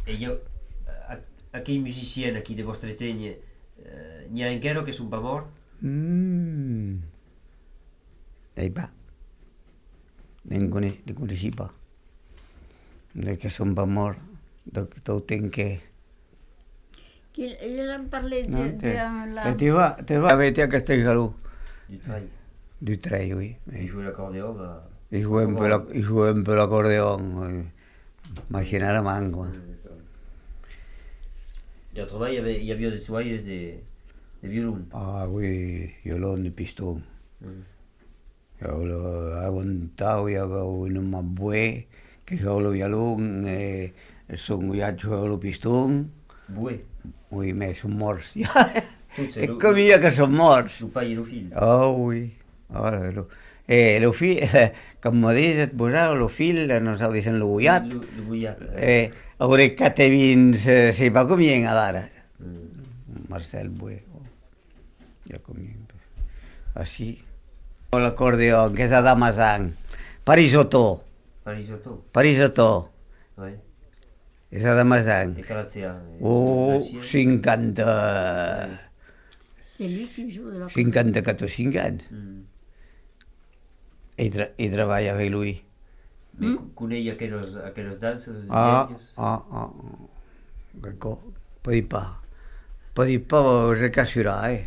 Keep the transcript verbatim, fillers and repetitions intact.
E io, aquell musicien aquí de Vostreteny, n'hi ha encara que són pas morts? Mm. Ei pas. Ne coneixi pas. De que són pas morts. Tot tenc que... Ils en parlaient Non, de, te, de la... te, te va, te va avec à Castellgalou. Du trail. Du trail, oui. Il jouait l'accordéon. Bah... Il jouait un peu, la, il jouait un peu l'accordéon. Oui. Machina la man, quoi. Et autrement, il y avait, il y avait des soirées de, de violon. Ah oui, violon de piston. Mm. Jo l'aguantau, hi havia un home bué que jugava el violon, eh, son guiat jugava el piston. Bué? Oui, mais són morts. És com ja que són morts. El pare i el fill. Oh, oui. Oh, lo, eh, el fill, eh, com me dius, et posava el fill, nosaltres dicen el guiat. El guiat. Eh, ora que te vins, eh, si va comient ara. Mm. Marcel Bué. Oh. Ja comien. Així. L'acordeó, que és a Damasang. Parisotó. Parisotó. Parisotó. Oui. És a Damasang. Et Calatsia. Oh, cinquanta... C'est lui qui joue l'accordéon. cinquanta-quatre o cinc anys. Mm. I, tra I treballa amb lui. Mm? Coneix aquelles, aquelles danses? Ah, ah, ah. D'accord. Pas dir pas. Pas dir pas, je casserai, eh.